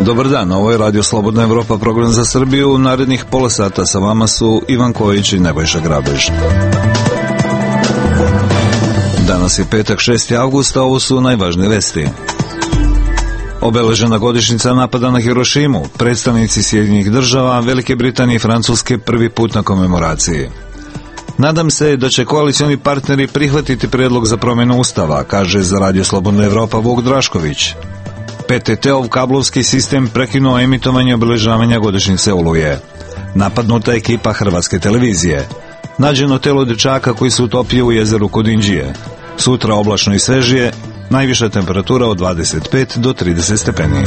Dobar dan, ovo je Radio Slobodna Evropa, program za Srbiju. U narednih pola sata sa vama su Ivan Kojić i Nebojša Grabež. Danas je petak 6. avgusta, ovo su najvažnije vesti. Obeležena godišnjica napada na Hirošimu, predstavnici Sjedinjenih država, Velike Britanije i Francuske prvi put na komemoraciji. Nadam se da će koalicioni partneri prihvatiti predlog za promjenu ustava, kaže za Radio Slobodna Evropa Vuk Drašković. PTT-ov kablovski sistem prekinuo emitovanje obeležavanja godišnjice Oluje. Napadnuta ekipa Hrvatske televizije. Nađeno telo dečaka koji se utopio u jezeru kod Inđije. Sutra oblačno i svežije, najviša temperatura od 25 do 30 stepeni.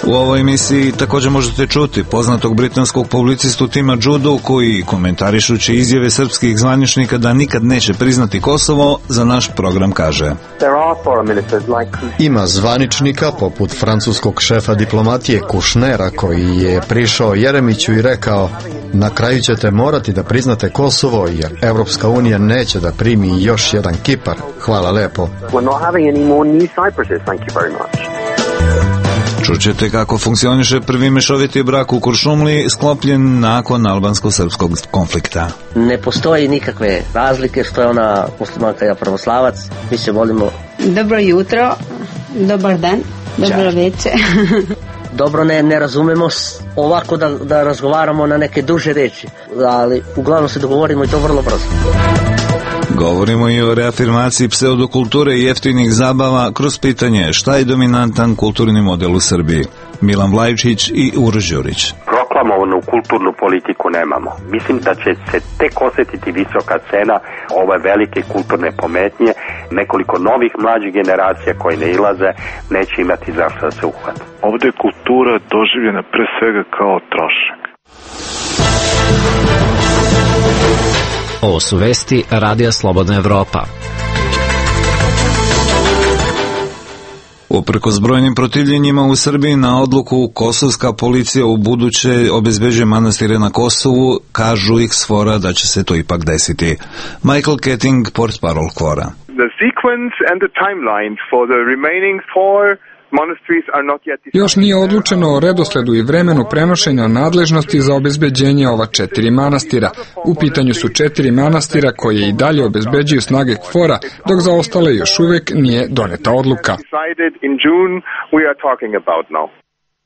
U ovoj emisiji također možete čuti poznatog britanskog publicistu Tima Judu, koji, komentarišući izjave srpskih zvaničnika da nikad neće priznati Kosovo, za naš program kaže: Ima zvaničnika poput francuskog šefa diplomatije Kušnera, koji je prišao Jeremiću i rekao: na kraju ćete morati da priznate Kosovo, jer Evropska unija neće da primi još jedan Kipar. Hvala lepo. Čućete kako funkcioniše prvi mešoviti brak u Kuršumliji, sklopljen nakon albansko-srpskog konflikta. Ne postoji nikakve razlike što je ona muslimanka, ja pravoslavac. Mi se volimo. Dobro jutro, dobar dan, dobro večer. Dobro, ne razumemo ovako da razgovaramo na neke duže reči, ali uglavnom se dogovorimo i to vrlo brzo. Govorimo i o reafirmaciji pseudokulture i jeftinih zabava kroz pitanje šta je dominantan kulturni model u Srbiji. Milan Vlajčić i Uroš Đurić. Proklamovanu kulturnu politiku nemamo. Mislim da će se tek osjetiti visoka cena ove velike kulturne pometnje. Nekoliko novih mlađih generacija koji ne ilaze neće imati zašto da se uhvate. Ovdje je kultura doživljena pre svega kao trošak. Ovo su vesti Radija Slobodna Evropa. Uprkos brojnim protivljenjima u Srbiji na odluku, kosovska policija u buduće obezbeđuje manastire na Kosovu, kažu ih s fora da će se to ipak desiti. Michael Ketting, portparol KFOR-a. The sequence and the timeline for the remaining 4 Još nije odlučeno o redosledu i vremenu prenošenja nadležnosti za obezbeđenje ova 4 manastira. U pitanju su 4 manastira koje i dalje obezbeđuju snage KFOR-a, dok za ostale još uvijek nije doneta odluka.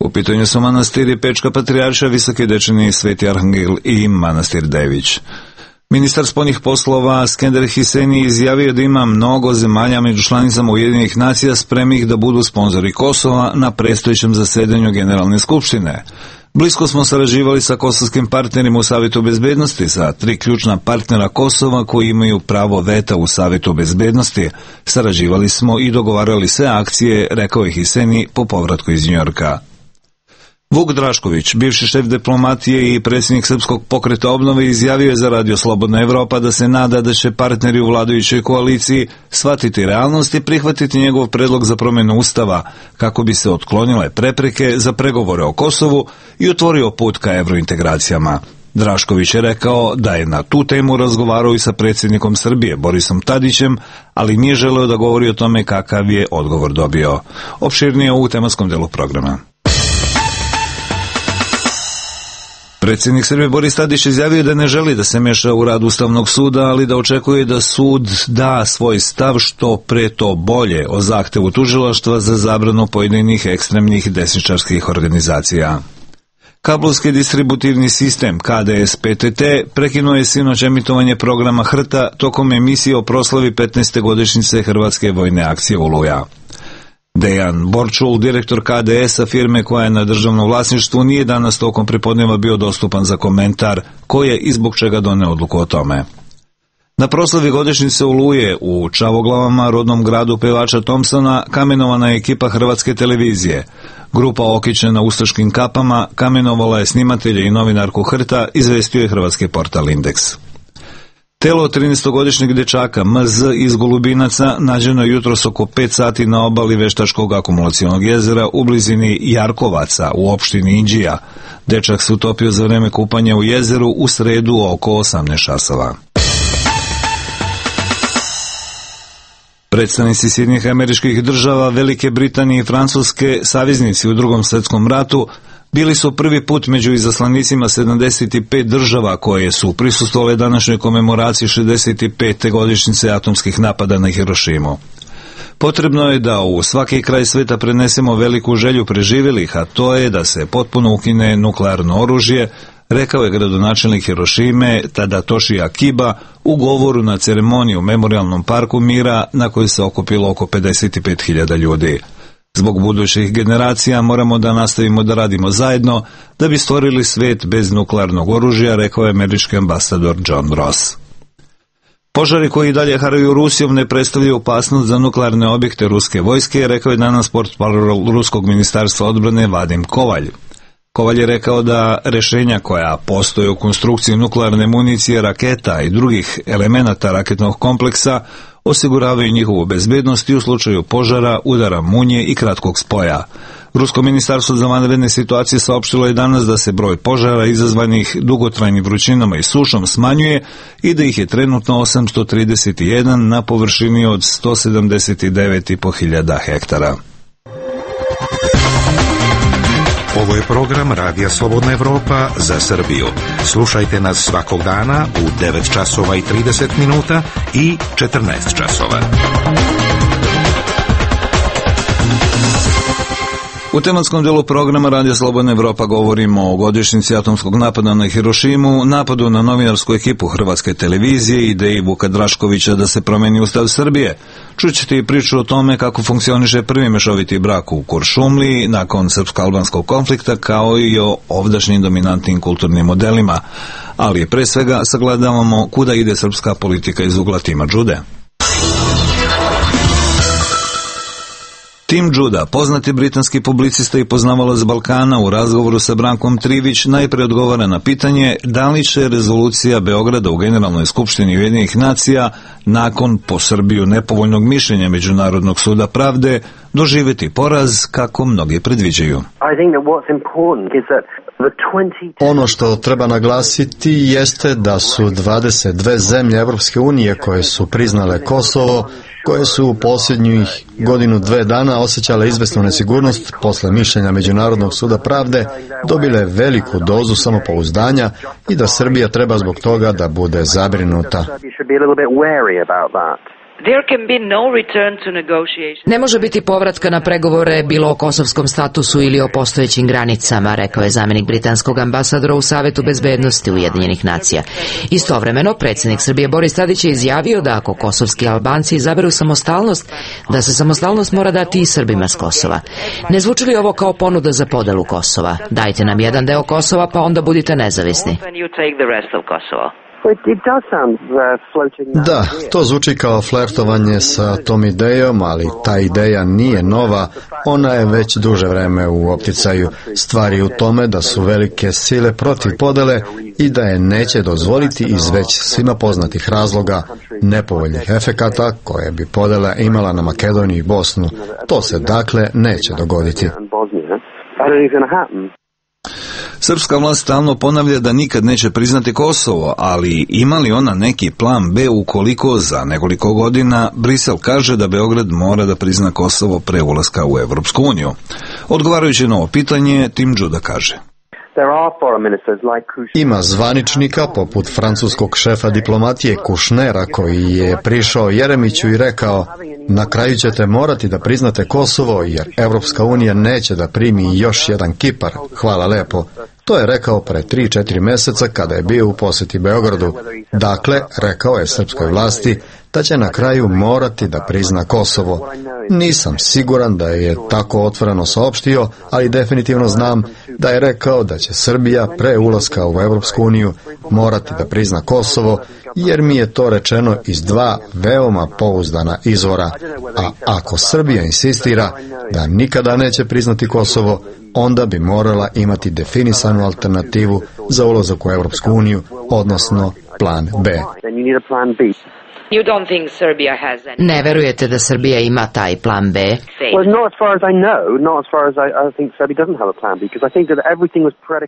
U pitanju su manastiri Pečka Patrijarša, Visoki Dečani, Sveti Arhangel i manastir Dević. Ministar spoljnih poslova Skender Hiseni izjavio da ima mnogo zemalja među članicama Ujedinjenih nacija spremnih da budu sponzori Kosova na predstojećem zasedanju Generalne skupštine. Blisko smo sarađivali sa kosovskim partnerima u Savjetu bezbednosti, sa 3 ključna partnera Kosova koji imaju pravo veta u Savjetu bezbednosti. Sarađivali smo i dogovarali sve akcije, rekao je Hiseni po povratku iz Njujorka. Vuk Drašković, bivši šef diplomatije i predsjednik Srpskog pokreta obnove, izjavio je za Radio Slobodna Evropa da se nada da će partneri u vladajućoj koaliciji shvatiti realnost i prihvatiti njegov predlog za promjenu ustava kako bi se otklonile prepreke za pregovore o Kosovu i otvorio put ka evrointegracijama. Drašković je rekao da je na tu temu razgovarao i sa predsjednikom Srbije Borisom Tadićem, ali nije želeo da govori o tome kakav je odgovor dobio. Opširnije u tematskom delu programa. Predsjednik Srbije Boris Tadić izjavio da ne želi da se meša u rad Ustavnog suda, ali da očekuje da sud da svoj stav što pre to bolje o zahtevu tužilaštva za zabranu pojedinih ekstremnih desničarskih organizacija. Kablovski distributivni sistem KDS PTT prekinuo je sinoć emitovanje programa HRT-a tokom emisije o proslavi 15. godišnjice Hrvatske vojne akcije Oluja. Dejan Borčul, direktor KDS-a, firme koja je na državnom vlasništvu, nije danas tokom pripodneva bio dostupan za komentar ko je i zbog čega doneo odluku o tome. Na proslavi godišnjice Oluje u Čavoglavama, rodnom gradu pevača Thompsona, kamenovana je ekipa Hrvatske televizije. Grupa okićena ustaškim kapama kamenovala je snimatelja i novinarku HRT-a, izvestio je hrvatski portal Indeks. Telo 13-godišnjeg dečaka MZ iz Golubinaca nađeno je jutros oko 5 sati na obali Veštačkog akumulacionog jezera u blizini Jarkovaca u opštini Inđija. Dečak se utopio za vreme kupanja u jezeru u sredu oko 18 časova. Predstavnici Sjedinjenih Američkih Država, Velike Britanije i Francuske, saveznici u Drugom svjetskom ratu, bili su prvi put među izaslanicima 75 država koje su prisustvovale današnjoj komemoraciji 65. godišnjice atomskih napada na Hirošimu. Potrebno je da u svaki kraj sveta prenesemo veliku želju preživjelih, a to je da se potpuno ukine nuklearno oružje, rekao je gradonačelnik Hirošime Tadatoshi Akiba u govoru na ceremoniji u Memorijalnom parku mira na kojoj se okupilo oko 55.000 ljudi. Zbog budućih generacija moramo da nastavimo da radimo zajedno da bi stvorili svijet bez nuklearnog oružja, rekao je američki ambasador John Ross. Požari koji dalje haraju Rusijom ne predstavljaju opasnost za nuklearne objekte ruske vojske, rekao je danas portparol ruskog ministarstva odbrane Vadim Kovalj. Kovalj je rekao da rješenja koja postoje u konstrukciji nuklearne municije, raketa i drugih elemenata raketnog kompleksa osiguravaju njihovu bezbednost i u slučaju požara, udara munje i kratkog spoja. Rusko ministarstvo za vanredne situacije saopštilo je danas da se broj požara izazvanih dugotrajnim vrućinama i sušom smanjuje i da ih je trenutno 831 na površini od 179.500 hektara. Ovo je program Radija Slobodna Evropa za Srbiju. Slušajte nas svakog dana u 9 časova i 30 minuta i 14 časova. U tematskom delu programa Radija Slobodna Evropa govorimo o godišnjici atomskog napada na Hirošimu, napadu na novinarsku ekipu Hrvatske televizije i ideji Vuka Draškovića da se promeni Ustav Srbije. Čućete i priču o tome kako funkcioniše prvi mešoviti brak u Kuršumliji nakon srpsko-albanskog konflikta, kao i o ovdašnjim dominantnim kulturnim modelima. Ali pre svega sagledavamo kuda ide srpska politika iz ugla Tima Đude. Tim Đuda, poznati britanski publicista i poznavalac Balkana, u razgovoru sa Brankom Trivić najpre odgovara na pitanje da li će rezolucija Beograda u Generalnoj skupštini Ujedinjenih nacija nakon po Srbiju nepovoljnog mišljenja Međunarodnog suda pravde doživjeti poraz kako mnogi predviđaju. Ono što treba naglasiti jeste da su 22 zemlje Evropske unije koje su priznale Kosovo, koje su u posljednjih godinu dve dana osjećale izvesnu nesigurnost posle mišljenja Međunarodnog suda pravde, dobile veliku dozu samopouzdanja i da Srbija treba zbog toga da bude zabrinuta. Ne može biti povratka na pregovore bilo o kosovskom statusu ili o postojećim granicama, rekao je zamjenik britanskog ambasadora u Savetu bezbednosti Ujedinjenih nacija. Istovremeno, predsjednik Srbije Boris Tadić je izjavio da ako kosovski Albanci izaberu samostalnost, da se samostalnost mora dati i Srbima s Kosova. Ne zvuči li ovo kao ponuda za podelu Kosova? Dajte nam jedan deo Kosova pa onda budite nezavisni. Da, to zvuči kao flertovanje sa tom idejom, ali ta ideja nije nova, ona je već duže vreme u opticaju. Stvar je u tome da su velike sile protiv podele i da je neće dozvoliti iz već svima poznatih razloga, nepovoljnih efekata koje bi podela imala na Makedoniju i Bosnu. To se dakle neće dogoditi. Srpska vlast stalno ponavlja da nikad neće priznati Kosovo, ali ima li ona neki plan B ukoliko za nekoliko godina Brisel kaže da Beograd mora da prizna Kosovo pre ulaska u Evropsku uniju? Odgovarajući na ovo pitanje, Tim Đuda kaže: Ima zvaničnika poput francuskog šefa diplomatije Kušnera koji je prišao Jeremiću i rekao: na kraju ćete morati da priznate Kosovo jer Evropska unija neće da primi još jedan Kipar. Hvala lepo. To je rekao pre 3-4 meseca kada je bio u posjeti Beogradu. Dakle, rekao je srpskoj vlasti da će na kraju morati da prizna Kosovo. Nisam siguran da je tako otvoreno saopštio, ali definitivno znam da je rekao da će Srbija pre ulaska u Evropsku uniju morati da prizna Kosovo, jer mi je to rečeno iz dva veoma pouzdana izvora. A ako Srbija insistira da nikada neće priznati Kosovo, onda bi morala imati definisanu alternativu za ulazak u Evropsku uniju, odnosno plan B. Ne verujete da Srbija ima taj plan B?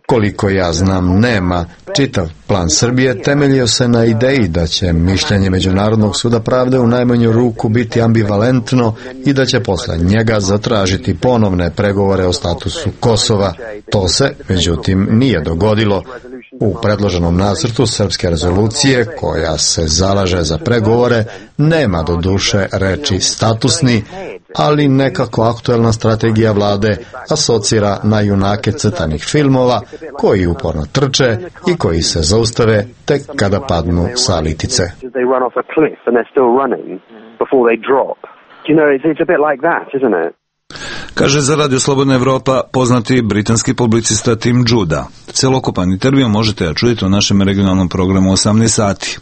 Koliko ja znam, nema. Čitav plan Srbije temeljio se na ideji da će mišljenje Međunarodnog suda pravde u najmanju ruku biti ambivalentno i da će posle njega zatražiti ponovne pregovore o statusu Kosova. To se, međutim, nije dogodilo. U predloženom nacrtu srpske rezolucije, koja se zalaže za pregovore, nema do duše reči statusni, ali nekako aktuelna strategija vlade asocira na junake crtanih filmova koji uporno trče i koji se zaustave tek kada padnu sa litice. Kaže za Radio Slobodna Evropa poznati britanski publicista Tim Judah. Celokupan intervju možete da čujete u našem regionalnom programu 18 sati.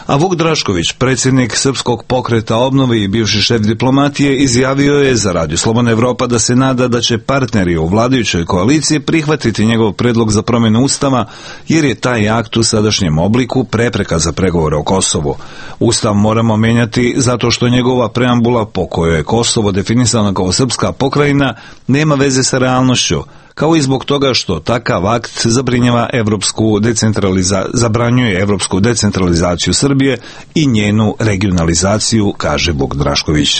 A Vuk Drašković, predsjednik Srpskog pokreta obnove i bivši šef diplomatije, izjavio je za Radio Slobodna Evropa da se nada da će partneri u vladajućoj koaliciji prihvatiti njegov predlog za promjenu ustava, jer je taj akt u sadašnjem obliku prepreka za pregovore o Kosovu. Ustav moramo menjati zato što njegova preambula, po kojoj je Kosovo definisano kao srpska pokrajina, nema veze sa realnošću, kao i zbog toga što takav akt zabranjuje evropsku decentralizaciju Srbije i njenu regionalizaciju, kaže Vuk Drašković.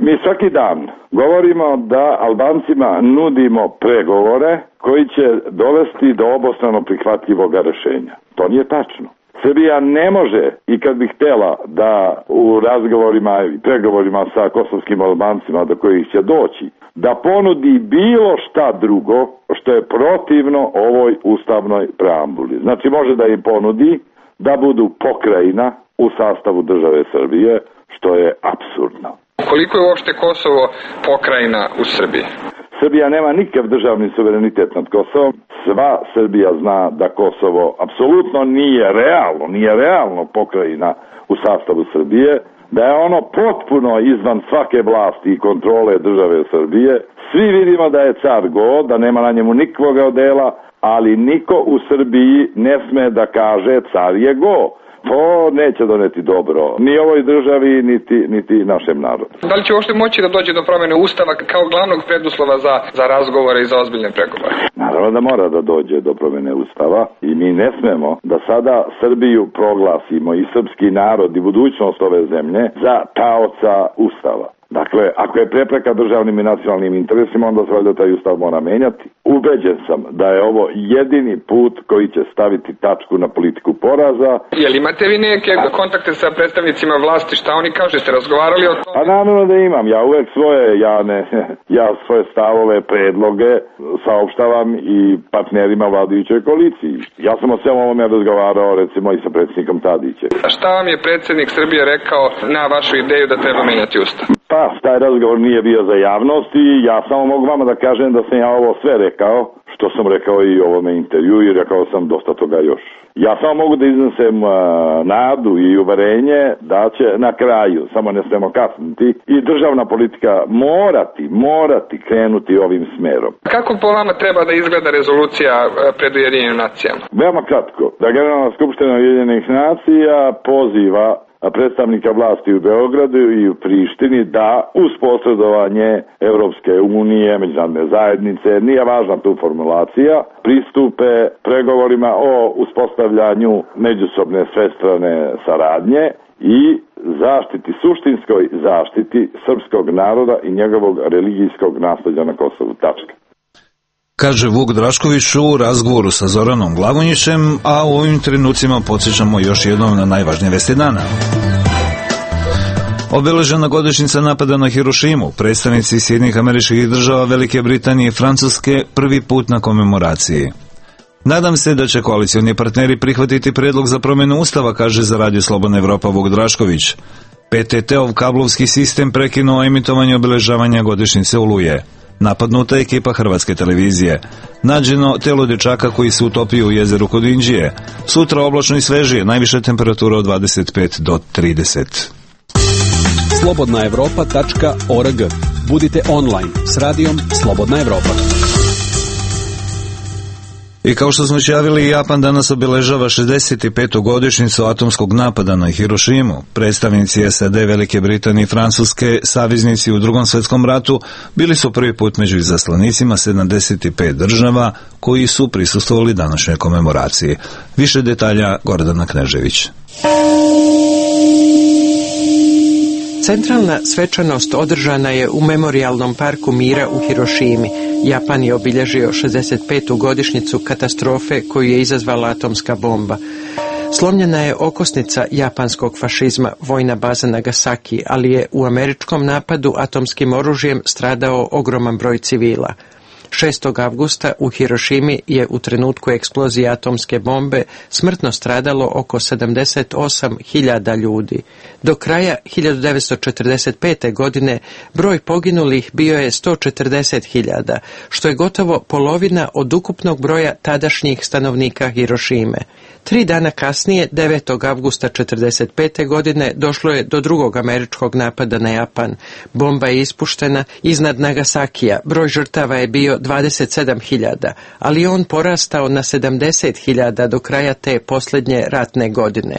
Mi svaki dan govorimo da Albancima nudimo pregovore koji će dovesti do obostrano prihvatljivog rešenja. To nije tačno. Srbija ne može, i kad bi htjela da u razgovorima i pregovorima sa kosovskim Albancima do kojih će doći, da ponudi bilo šta drugo što je protivno ovoj ustavnoj preambuli. Znači može da im ponudi da budu pokrajina u sastavu države Srbije, što je apsurdno. Koliko je uopšte Kosovo pokrajina u Srbiji? Srbija nema nikakav državni suverenitet nad Kosovom. Sva Srbija zna da Kosovo apsolutno nije realno pokrajina u sastavu Srbije, da je ono potpuno izvan svake vlasti i kontrole države Srbije. Svi vidimo da je car go, da nema na njemu nikakvoga odela, ali niko u Srbiji ne sme da kaže car je go. To neće doneti dobro ni ovoj državi, niti našem narodu. Da li će uopšte moći da dođe do promjene ustava kao glavnog preduslova za razgovore i za ozbiljne pregovore? Naravno da mora da dođe do promjene ustava i mi ne smemo da sada Srbiju proglasimo i srpski narod i budućnost ove zemlje za taoca ustava. Dakle, ako je prepreka državnim i nacionalnim interesima, onda se valjda taj ustav mora menjati. Ubeđen sam da je ovo jedini put koji će staviti tačku na politiku poraza. Jel imate vi neke kontakte sa predstavnicima vlasti, šta oni kažu, ste razgovarali o tome? A naravno da imam, ja uvek svoje stavove, predloge saopštavam i partnerima vladajućoj koaliciji. Ja sam o svemu ovome razgovarao recimo i sa predsjednikom Tadićem. A šta vam je predsjednik Srbije rekao na vašu ideju da treba menjati ustav? Pa, taj razgovor nije bio za javnost i ja samo mogu vama da kažem da sam ja ovo sve rekao, što sam rekao i u ovome intervju i rekao sam dosta toga još. Ja samo mogu da iznesem nadu i uverenje da će na kraju, samo ne smemo kasniti, i državna politika morati krenuti ovim smerom. Kako po vama treba da izgleda rezolucija pred Ujedinjenim nacijama? Veoma kratko, da Generalna skupština Ujedinjenih nacija poziva predstavnika vlasti u Beogradu i u Prištini da uz posredovanje Evropske unije, međunarodne zajednice, nije važna tu formulacija, pristupe pregovorima o uspostavljanju međusobne svestrane saradnje i suštinskoj zaštiti srpskog naroda i njegovog religijskog nasleđa na Kosovu. Tačka. Kaže Vuk Drašković u razgovoru sa Zoranom Glavonjićem, a u ovim trenucima podsjećamo još jednom na najvažnije vesti dana. Obeležena godišnjica napada na Hirošimu, predstavnici Sjedinjenih Američkih Država, Velike Britanije i Francuske prvi put na komemoraciji. Nadam se da će koalicioni partneri prihvatiti predlog za promjenu ustava, kaže za Radio Slobodna Evropa Vuk Drašković. PTT-ov kablovski sistem prekinuo emitovanje obeležavanja godišnjice Oluje. Napadnuta ekipa Hrvatske televizije. Nađeno telo dečaka koji se utopio u jezeru kod Inđije. Sutra oblačno i svežije, najviša temperatura od 25 do 30. slobodnaevropa.org. Budite online s radijom Slobodna Evropa. I kao što smo javili, Japan danas obeležava 65. godišnjicu atomskog napada na Hirošimu. Predstavnici SAD, Velike Britanije i Francuske, saveznici u Drugom svjetskom ratu, bili su prvi put među izaslanicima 75 država koji su prisustvovali današnjoj komemoraciji. Više detalja Gordana Knežević. Centralna svečanost održana je u Memorijalnom parku mira u Hirošimi. Japan je obilježio 65. godišnjicu katastrofe koju je izazvala atomska bomba. Slomljena je okosnica japanskog fašizma, vojna baza Nagasaki, ali je u američkom napadu atomskim oružjem stradao ogroman broj civila. 6. avgusta u Hirošimi je u trenutku eksplozije atomske bombe smrtno stradalo oko 78.000 ljudi. Do kraja 1945. godine broj poginulih bio je 140.000, što je gotovo polovina od ukupnog broja tadašnjih stanovnika Hirošime. 3 dana kasnije, 9. avgusta 1945. godine, došlo je do drugog američkog napada na Japan. Bomba je ispuštena iznad Nagasakija. Broj žrtava je bio 27.000, ali on porastao na 70.000 do kraja te posljednje ratne godine.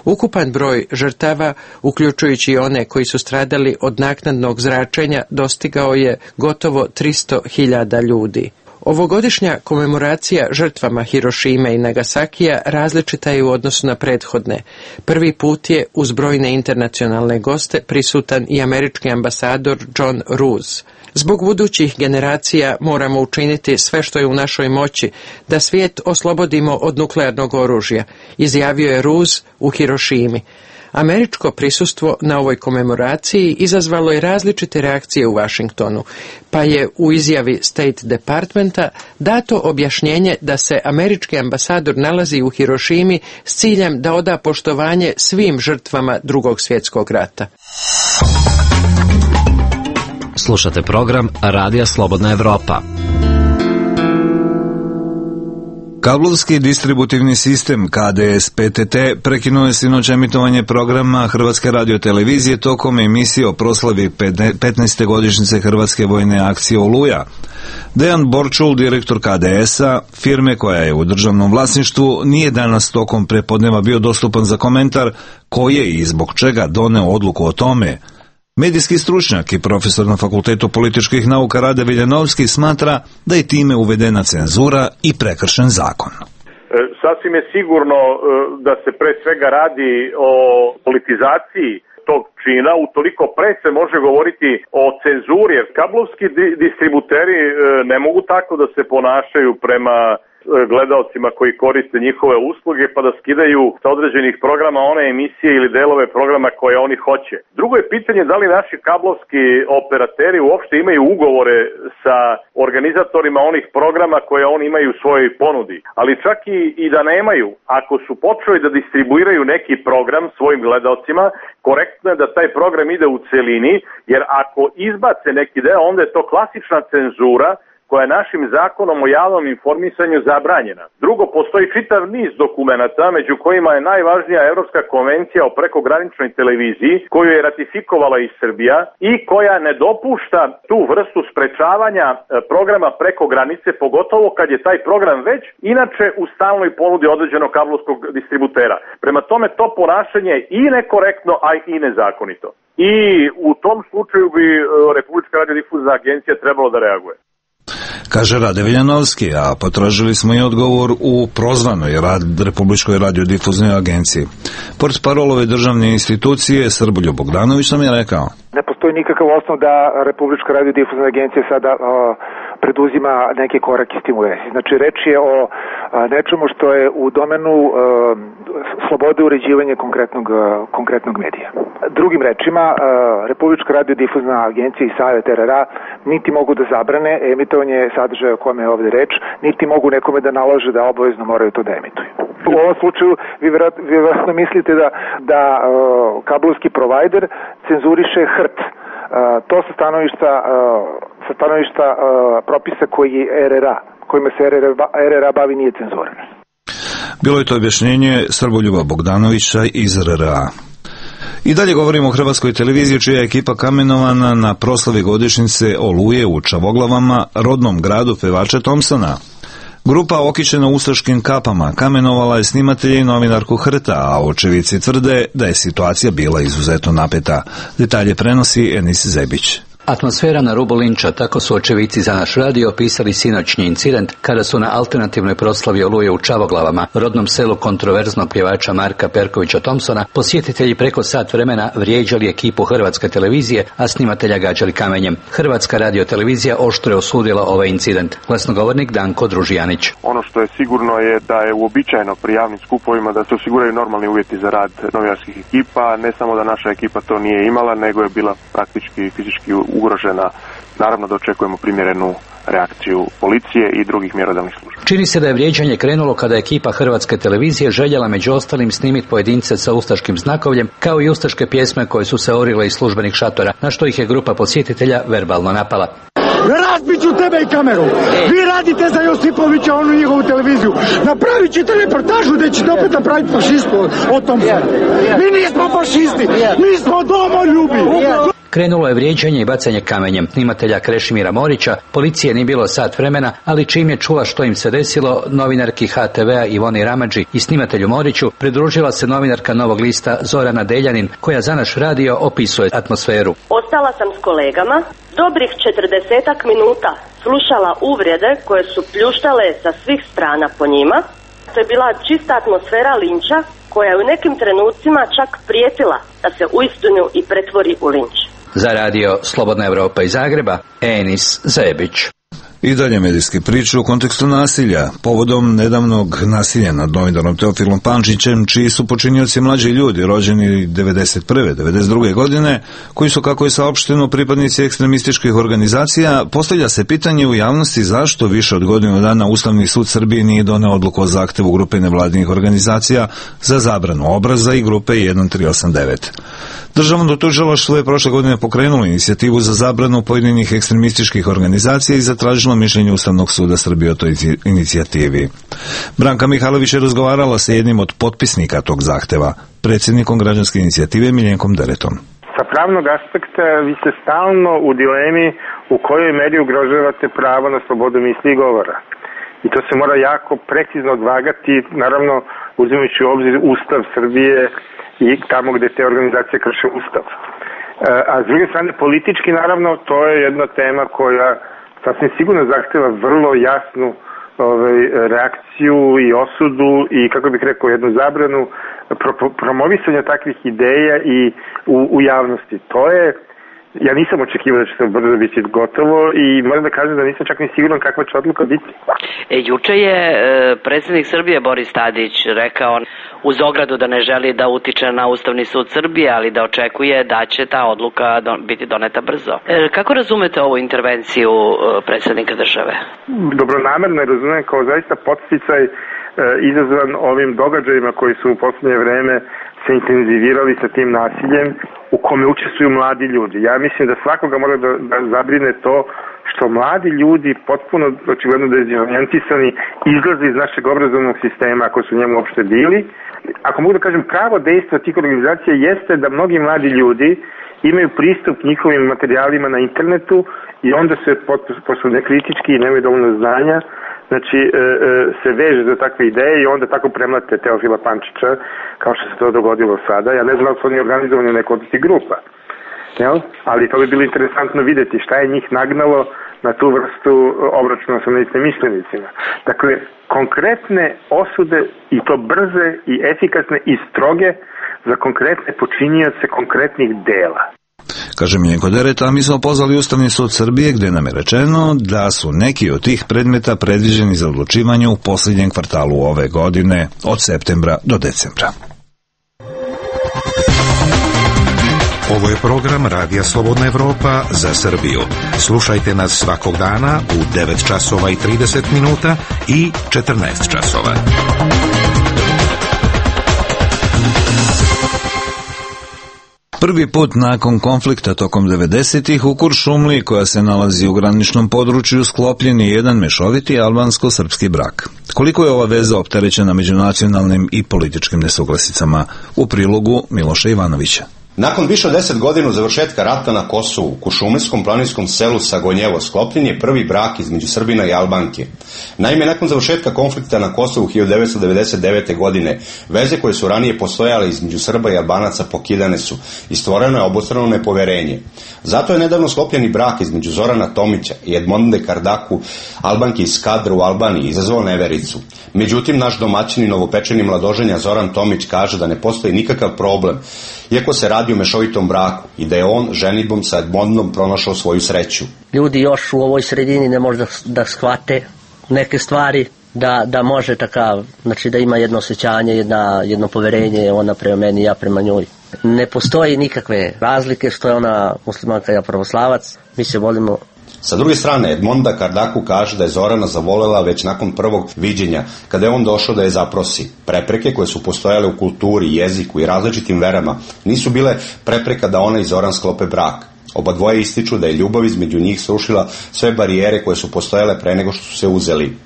Ukupan broj žrtava, uključujući i one koji su stradali od naknadnog zračenja, dostigao je gotovo 300.000 ljudi. Ovogodišnja komemoracija žrtvama Hirošime i Nagasakija različita je u odnosu na prethodne. Prvi put je uz brojne internacionalne goste prisutan i američki ambasador John Roos. Zbog budućih generacija moramo učiniti sve što je u našoj moći da svijet oslobodimo od nuklearnog oružja, izjavio je Roos u Hirošimi. Američko prisustvo na ovoj komemoraciji izazvalo je različite reakcije u Washingtonu, pa je u izjavi State Departmenta dato objašnjenje da se američki ambasador nalazi u Hirošimi s ciljem da oda poštovanje svim žrtvama Drugog svjetskog rata. Slušate program Radija Slobodna Evropa. Kablovski distributivni sistem KDS PTT prekinuo je sinoć emitovanje programa Hrvatske radiotelevizije tokom emisije o proslavi 15. godišnjice Hrvatske vojne akcije Oluja. Dejan Borčul, direktor KDS-a, firme koja je u državnom vlasništvu, nije danas tokom prepodneva bio dostupan za komentar ko je i zbog čega doneo odluku o tome. Medijski stručnjak i profesor na Fakultetu političkih nauka Rade Viljanovski smatra da je time uvedena cenzura i prekršen zakon. Sasvim je sigurno da se pre svega radi o politizaciji tog čina, utoliko pre se može govoriti o cenzuri, jer kablovski distributeri ne mogu tako da se ponašaju prema gledaocima koji koriste njihove usluge pa da skidaju sa određenih programa one emisije ili delove programa koje oni hoće. Drugo je pitanje da li naši kablovski operateri uopšte imaju ugovore sa organizatorima onih programa koje oni imaju u svojoj ponudi. Ali čak i da nemaju, ako su počeli da distribuiraju neki program svojim gledaocima, korektno je da taj program ide u celini, jer ako izbace neki deo, onda je to klasična cenzura koja je našim zakonom o javnom informisanju zabranjena. Drugo, postoji čitav niz dokumenata, među kojima je najvažnija Evropska konvencija o prekograničnoj televiziji, koju je ratifikovala i Srbija i koja ne dopušta tu vrstu sprečavanja programa preko granice, pogotovo kad je taj program već inače u stalnoj ponudi određenog kablovskog distributera. Prema tome, to ponašanje je i nekorektno, a i nezakonito. I u tom slučaju bi Republička radiodifuzna agencija trebalo da reaguje. Kaže Rade Viljanovski, a potražili smo i odgovor u prozvanoj Republičkoj radiodifuznoj agenciji. Portparolove državne institucije Srbuljo Bogdanović nam je rekao: ne postoji nikakav osnov da Republička radiodifuzna agencija sada preduzima neke korake s tim u vezi. Znači, reč je o nečemu što je u domenu slobode uređivanja konkretnog medija. Drugim rečima, Republička radiodifuzna agencija i Savet RRA niti mogu da zabrane emitovanje sadržaja o kome je ovde reč, niti mogu nekome da nalože da obavezno moraju to da emituju. U ovom slučaju vi vjerojatno mislite da kablovski provajder cenzuriše HRT. To sa stanovišta propisa kojima se RRA bavi nije cenzura. Bilo je to objašnjenje Srboljuba Bogdanovića iz RRA. I dalje govorimo o Hrvatskoj televiziji, čija je ekipa kamenovana na proslavi godišnjice Oluje u Čavoglavama, rodnom gradu pevača Thompsona. Grupa okićena ustaškim kapama kamenovala je snimatelje i novinarku Hrta, a očevici tvrde da je situacija bila izuzetno napeta. Detalje prenosi Enis Zebić. Atmosfera na rubu linča, tako su očevici za naš radio opisali sinoćnji incident kada su na alternativnoj proslavi Oluje u Čavoglavama, rodnom selu kontroverznog pjevača Marka Perkovića Thompsona, posjetitelji preko sat vremena vrijeđali ekipu Hrvatske televizije, a snimatelja gađali kamenjem. Hrvatska radiotelevizija oštro je osudila ovaj incident. Glasnogovornik Danko Družijanić. Ono što je sigurno je da je uobičajeno pri javnim skupovima da se osiguraju normalni uvjeti za rad novinarskih ekipa, ne samo da naša ekipa to nije imala, nego je bila praktički fizički ugrožena. Naravno da očekujemo primjerenu reakciju policije i drugih mjerodavnih službi. Čini se da je vrijeđanje krenulo kada je ekipa Hrvatske televizije željela među ostalim snimiti pojedince sa ustaškim znakovljem, kao i ustaške pjesme koje su se orile iz službenih šatora, na što ih je grupa posjetitelja verbalno napala. Razbit ću tebe i kameru. Vi radite za Josipovića, onu njihovu televiziju. Napravit ćete reportažu gdje ćete opet napraviti fašistu o tom. Mi nismo fašisti, mi smo domoljubi. Krenulo je vrijeđanje i bacanje kamenjem snimatelja Krešimira Morića. Policije nije bilo sat vremena, ali čim je čula što im se desilo, novinarki HTV-a Ivoni Ramadži i snimatelju Moriću pridružila se novinarka Novog lista Zorana Deljanin, koja za naš radio opisuje atmosferu. Ostala sam s kolegama, dobrih 40-ak minuta slušala uvrede koje su pljuštale sa svih strana po njima. To je bila čista atmosfera linča koja je u nekim trenucima čak prijetila da se uistinu i pretvori u linč. Za radio Slobodna Evropa iz Zagreba, Enis Zebić. I dalje medijske priče u kontekstu nasilja. Povodom nedavnog nasilja nad novinarom Teofilom Pančićem, čiji su počinioci mlađi ljudi, rođeni 91. 92. godine, koji su, kako je saopšteno, pripadnici ekstremističkih organizacija, postavlja se pitanje u javnosti zašto više od godinu dana Ustavni sud Srbije nije doneo odluku o zahtevu grupe nevladinih organizacija za zabranu obraza i grupe 1389. Državno tužilaštvo je prošle godine pokrenulo inicijativu za zabranu pojedinih ekstremističkih organizacija i zatražilo mišljenje Ustavnog suda Srbije o toj inicijativi. Branka Mihajlović je razgovarala sa jednim od potpisnika tog zahteva, predsjednikom građanske inicijative Miljenkom Deretom. Sa pravnog aspekta vi ste stalno u dilemi u kojoj meri ugrožavate pravo na slobodu misli i govora. I to se mora jako precizno odvagati, naravno uzimajući u obzir Ustav Srbije i tamo gdje te organizacije krše Ustav. A s druge strane, politički, naravno, to je jedna tema koja sasvim sigurno zahtjeva vrlo jasnu reakciju i osudu i, kako bih rekao, jednu zabranu promovisanja takvih ideja i u javnosti. To je, ja nisam očekivao da će to brzo biti gotovo i moram da kažem da nisam čak ni siguran kakva će odluka biti. Juče je predsjednik Srbije Boris Tadić rekao uz ogradu da ne želi da utiče na Ustavni sud Srbije, ali da očekuje da će ta odluka biti doneta brzo. Kako razumete ovu intervenciju predsjednika države? Dobronamerno je razumem kao zaista podsticaj izazvan ovim događajima koji su u posljednje vreme se intenzivirali sa tim nasiljem u kome učestvuju mladi ljudi. Ja mislim da svakoga mora da zabrine to što mladi ljudi potpuno očigledno dezorijentisani izlaze iz našeg obrazovnog sistema ako su njemu uopšte bili. Ako mogu da kažem, pravo dejstvo tih organizacija jeste da mnogi mladi ljudi imaju pristup njihovim materijalima na internetu i onda se pošto nekritički i nemaju dovoljno znanja, znači se veže za takve ideje i onda tako premlate Teofila Pančića, kao što se to dogodilo sada. Ja ne znam da su oni organizovani u nekoj od tih grupa, jel? Ali to bi bilo interesantno vidjeti šta je njih nagnalo na tu vrstu obračuna sa neistomišljenicima. Dakle, konkretne osude i to brze i efikasne i stroge za konkretne počinioce konkretnih dela. Kaže Miljenko Deret, a mi smo pozvali Ustavni sud Srbije gdje nam je rečeno da su neki od tih predmeta predviđeni za odlučivanje u posljednjem kvartalu ove godine, od septembra do decembra. Ovo je program Radija Slobodna Evropa za Srbiju. Slušajte nas svakog dana u 9 časova i 30 minuta i 14 časova. Prvi put nakon konflikta tokom 90-ih u Kuršumliji, koja se nalazi u graničnom području, sklopljen je jedan mešoviti albansko-srpski brak. Koliko je ova veza opterećena međunacionalnim i političkim nesuglasicama? U prilogu Miloša Ivanovića. Nakon više od 10 godina završetka rata na Kosovu, u šumarskom planinskom selu Sagonjevo sklopljen je prvi brak između Srbina i Albanke. Naime, nakon završetka konflikta na Kosovu 1999. godine, veze koje su ranije postojale između Srba i Albanaca pokidane su i stvoreno je obostrano nepoverenje. Zato je nedavno sklopljeni brak između Zorana Tomića i Edmonde Kardaku, Albanke iz Skadra u Albaniji, izazvao nevericu. Međutim, naš domaćin i novopečeni mladoženja Zoran Tomić kaže da ne postoji nikakav problem, iako se radi o mešovitom braku i da je on ženidbom sa Edmondom pronašao svoju sreću. Ljudi još u ovoj sredini ne može da shvate neke stvari, da može takav, znači da ima jedno osjećanje, jedno poverenje, ona prema meni, ja prema njoj. Ne postoji nikakve razlike što je ona muslimanka, ja pravoslavac, mi se volimo. Sa druge strane, Edmonda Kardaku kaže da je Zorana zavolela već nakon prvog viđenja, kada je on došao da je zaprosi. Prepreke koje su postojale u kulturi, jeziku i različitim verama nisu bile prepreka da ona i Zoran sklope brak. Oba dvoje ističu da je ljubav između njih srušila sve barijere koje su postojale pre nego što su se uzeli.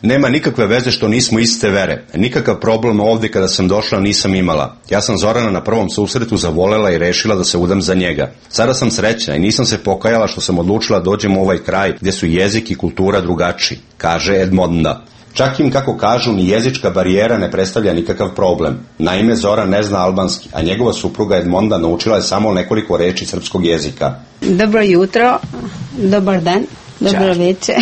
Nema nikakve veze što nismo iste vere. Nikakav problem ovdje kada sam došla nisam imala. Ja sam Zorana na prvom susretu zavolela i rešila da se udam za njega. Sada sam srećna i nisam se pokajala što sam odlučila dođem u ovaj kraj gdje su jezik i kultura drugačiji, kaže Edmonda. Čak im, kako kažu, ni jezička barijera ne predstavlja nikakav problem. Naime, Zoran ne zna albanski, a njegova supruga Edmonda naučila je samo nekoliko reči srpskog jezika. Dobro jutro, dobar dan, dobro večer.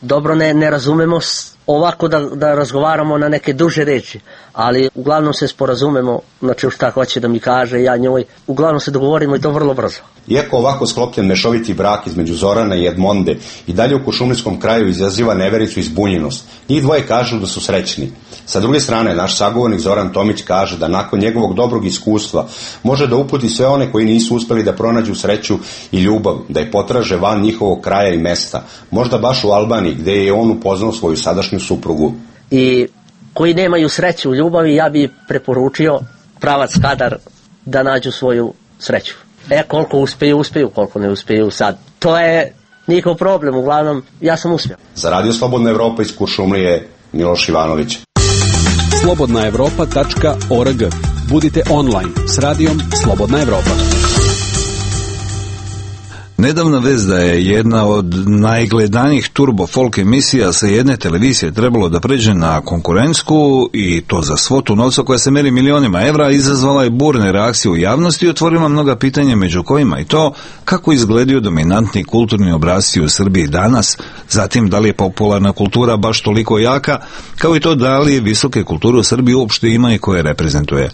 Dobro ne razumemo ovako da razgovaramo na neke duže reči, ali uglavnom se sporazumemo, znači šta hoće da mi kaže, ja njoj, uglavnom se dogovorimo i to vrlo brzo. Iako ovako sklopljen mešoviti brak između Zorana i Edmonde i dalje u košumlijskom kraju izaziva nevericu i zbunjenost, njih dvoje kažu da su srećni. Sa druge strane, naš sagovornik Zoran Tomić kaže da nakon njegovog dobrog iskustva može da uputi sve one koji nisu uspeli da pronađu sreću i ljubav, da je potraže van njihovog kraja i mesta, možda baš u Albaniji gdje je on upoznao svoju sadašnju suprugu. I koji nemaju sreću u ljubavi, ja bi preporučio pravac Skadar da nađu svoju sreću. Koliko uspeju, koliko ne uspeju sad. To je njihov problem, uglavnom ja sam uspio. Za Radio Slobodna Evropa iz Kuršumlije, Miloš Ivanović. slobodnaevropa.org. Budite online s radijom Slobodna Evropa. Nedavna vest da je jedna od najgledanijih turbo folk emisija sa jedne televizije trebalo da pređe na konkurentsku i to za svotu novca koja se meri milionima evra, izazvala je burne reakcije u javnosti i otvorila mnoga pitanja, među kojima i to kako izgledaju dominantni kulturni obrasci u Srbiji danas, zatim da li je popularna kultura baš toliko jaka, kao i to da li visoke kulture u Srbiji uopšte ima i koje reprezentuje.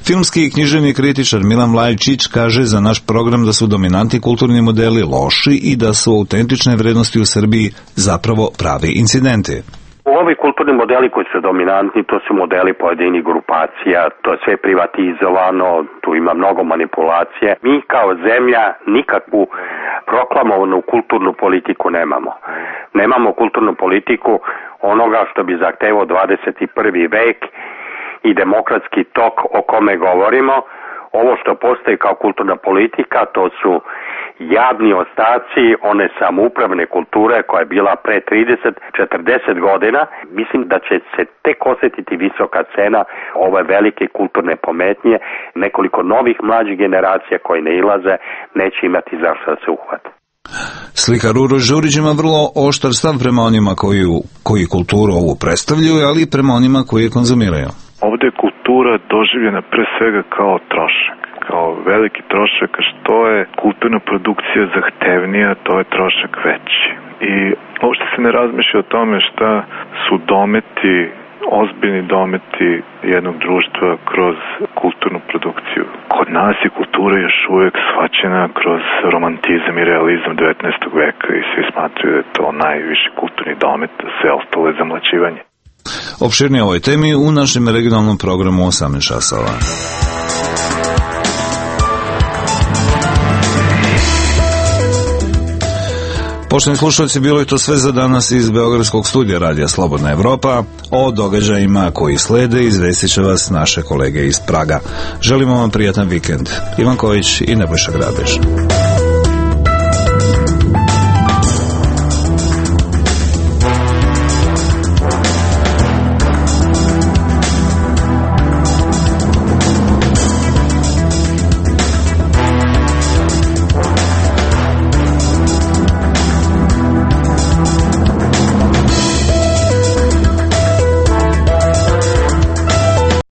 Filmski i književni kritičar Milan Vlajčić kaže za naš program da su dominantni kulturni modeli loši i da su autentične vrednosti u Srbiji zapravo pravi incidenti. Ovi kulturni modeli koji su dominantni, to su modeli pojedinih grupacija, to je sve privatizovano, tu ima mnogo manipulacije. Mi kao zemlja nikakvu proklamovanu kulturnu politiku nemamo. Nemamo kulturnu politiku onoga što bi zahtevao 21. vek i demokratski tok o kome govorimo. Ovo što postoji kao kulturna politika, to su jadni ostaci one samoupravne kulture koja je bila pre 30-40 godina. Mislim da će se tek osjetiti visoka cena ove velike kulturne pometnje. Nekoliko novih mlađih generacija koji ne ilaze neće imati zašto da se uhvate. Slikar Uroš Đurić ima vrlo oštar stav prema onima koji kulturu ovu predstavljaju, ali i prema onima koji je konzumiraju. Ovdje je kultura doživljena pre svega kao trošak, kao veliki trošak, a što je kulturna produkcija zahtevnija, to je trošak veći. I uopšte se ne razmišlja o tome šta su dometi, ozbiljni dometi jednog društva kroz kulturnu produkciju. Kod nas je kultura još uvijek shvaćena kroz romantizam i realizam 19. veka i svi smatruju da je to najviši kulturni domet, da sve ostalo je zamlaćivanje. Opširnije ovoj temi u našem regionalnom programu 18 časova. Poštovani slušalci, bilo je to sve za danas iz Beogradskog studija Radija Slobodna Evropa. O događajima koji slede izvestit će vas naše kolege iz Praga. Želimo vam prijatan vikend. Ivan Kojić i Nebojša Grabež.